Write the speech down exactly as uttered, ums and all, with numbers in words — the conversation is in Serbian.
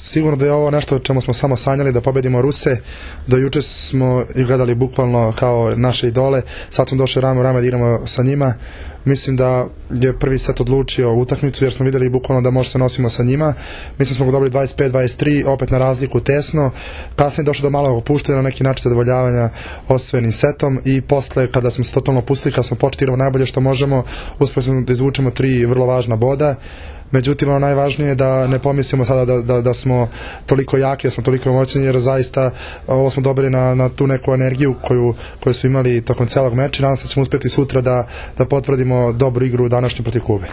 Sigurno da je ovo nešto o čemu smo samo sanjali, da pobedimo Ruse. Do juče smo ih gledali bukvalno kao naše idole, sad smo došli rame u rame da igramo sa njima. Mislim da je prvi set odlučio utakmicu jer smo videli bukvalno da možemo se nosimo sa njima. Mislim smo ga dobili dvadeset pet dvadeset tri, opet na razliku tesno. Kasnije je došlo do malog opuštanja, na neki način zadovoljavanja osvojenim setom i posle kada smo se totalno pustili, kada smo počeli igrati najbolje što možemo, uspeli smo da izvučemo tri vrlo važna boda. Međutim, ono najvažnije je da ne pomislimo sada da, da, da smo toliko jaki, da smo toliko moćni, jer zaista ovo smo dobili na, na tu neku energiju koju, koju smo imali tokom celog meča i nadam se da ćemo uspjeti sutra da, da potvrdimo dobru igru današnju protiv Kube.